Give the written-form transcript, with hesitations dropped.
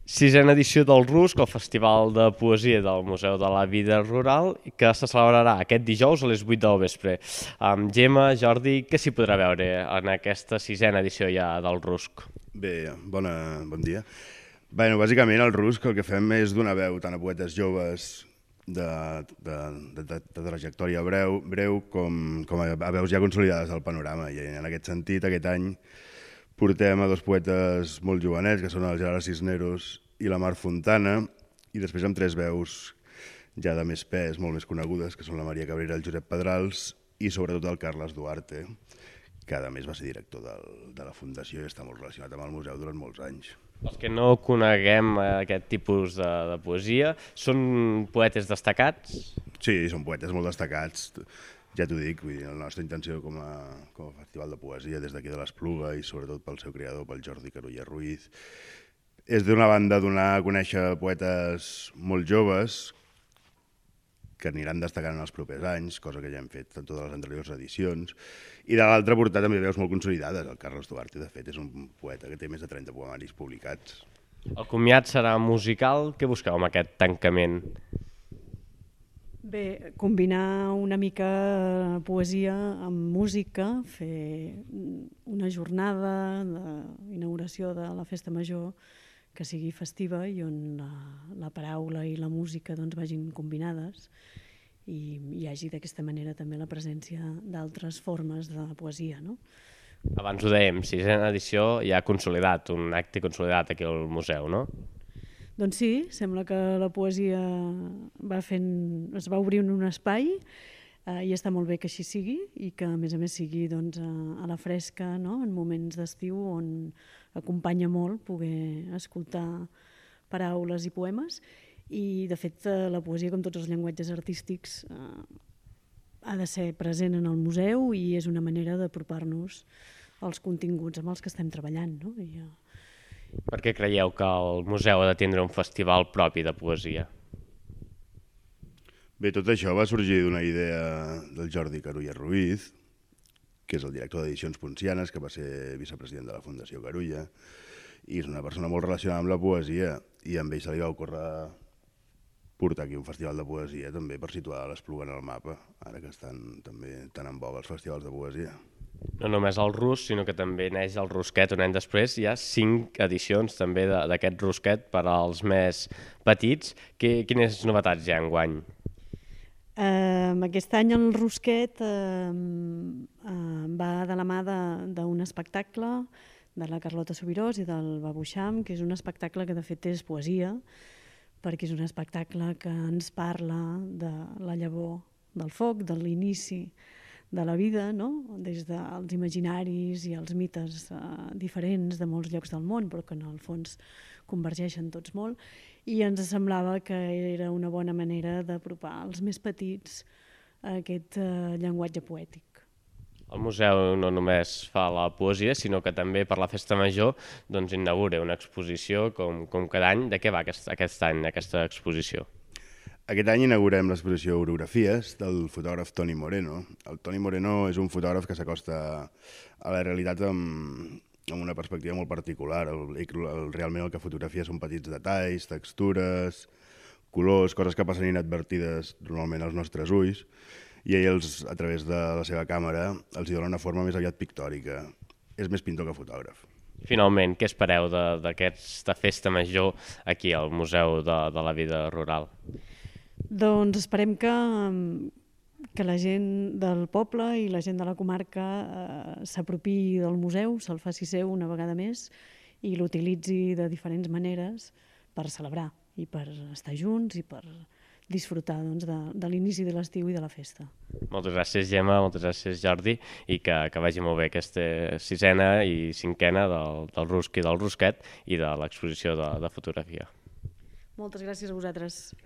Sisena edició del RUSC, el Festival de Poesia del Museu de la Vida Rural, que se celebrarà aquest dijous a les 8 del vespre. Gemma, Jordi, què s'hi podrà veure en aquesta sisena edició ja del RUSC? Bé, bon dia. Bé, bàsicament el RUSC el que fem és donar veu tant a poetes joves de trajectòria breu com a veus ja consolidades del panorama. I en aquest sentit, aquest any portem a dos poetes molt jovenets, que són el Gerard Cisneros i la Mar Fontana, i després amb tres veus ja de més pes, molt més conegudes, que són la Maria Cabrera, el Josep Pedrals i sobretot el Carles Duarte, que a més va ser director de la Fundació i està molt relacionat amb el museu durant molts anys. Els que no coneguem aquest tipus de poesia, són poetes destacats? Sí, són poetes molt destacats, ja t'ho dic, vull dir, la nostra intenció com a festival de poesia des d'aquí de l'Espluga i sobretot pel seu creador, pel Jordi Carulla Ruiz, és d'una banda donar a conèixer poetes molt joves que aniran destacant en els propers anys, cosa que ja hem fet en totes les anteriors edicions, i de l'altra portar també veus molt consolidades. El Carles Duarte, de fet, és un poeta que té més de 30 poemaris publicats. El comiat serà musical. Què busqueu amb aquest tancament? Bé, combinar una mica poesia amb música, fer una jornada d'inauguració de la Festa Major que sigui festiva i on la paraula i la música doncs, vagin combinades i hi hagi d'aquesta manera també la presència d'altres formes de poesia, no? Abans ho dèiem, sisena edició ja consolidat, un acte consolidat aquí al museu, no? Doncs sí, sembla que la poesia es va obrir en un espai i està molt bé que així sigui i que a més sigui doncs, a la fresca, no? En moments d'estiu on acompanya molt poder escoltar paraules i poemes i de fet la poesia, com tots els llenguatges artístics, ha de ser present en el museu i és una manera d'apropar-nos als continguts amb els que estem treballant, no? Per què creieu que el museu ha de tindre un festival propi de poesia? Bé, tot això va sorgir d'una idea del Jordi Carulla Ruiz, que és el director d'Edicions Poncianes, que va ser vicepresident de la Fundació Carulla, i és una persona molt relacionada amb la poesia, i amb ell se li va ocórrer portar aquí un festival de poesia també per situar l'Espluga en el mapa, ara que estan també tan en boga els festivals de poesia. No només el RUSC, sinó que també neix el Rusquet un any després. Hi ha 5 edicions també d'aquest Rusquet per als més petits. Quines novetats hi ha enguany? Aquest any el Rusquet va de la mà d'un espectacle de la Carlota Subirós i del Babuixam, que és un espectacle que de fet és poesia, perquè és un espectacle que ens parla de la llavor del foc, de l'inici de la vida, no? Des dels imaginaris i els mites diferents de molts llocs del món, però que en el fons convergeixen tots molt, i ens semblava que era una bona manera d'apropar als més petits a aquest llenguatge poètic. El museu no només fa la poesia, sinó que també per la Festa Major doncs, inaugura una exposició com cada any. De què va aquest any aquesta exposició? Aquest any inaugurem l'exposició Orografies del fotògraf Toni Moreno. El Toni Moreno és un fotògraf que s'acosta a la realitat amb una perspectiva molt particular. Realment el que fotografia són petits detalls, textures, colors, coses que passen inadvertides normalment als nostres ulls, i ell, a través de la seva càmera, els hi dona una forma més aviat pictòrica. És més pintor que fotògraf. Finalment, què espereu d'aquesta Festa Major aquí al Museu de la Vida Rural? Doncs esperem que la gent del poble i la gent de la comarca s'apropi del museu, se'l faci seu una vegada més i l'utilitzi de diferents maneres per celebrar i per estar junts i per disfrutar doncs, de l'inici de l'estiu i de la festa. Moltes gràcies, Gemma, moltes gràcies, Jordi, i que vagi molt bé aquesta sisena i cinquena del RUSC i del Rusquet i de l'exposició de fotografia. Moltes gràcies a vosaltres.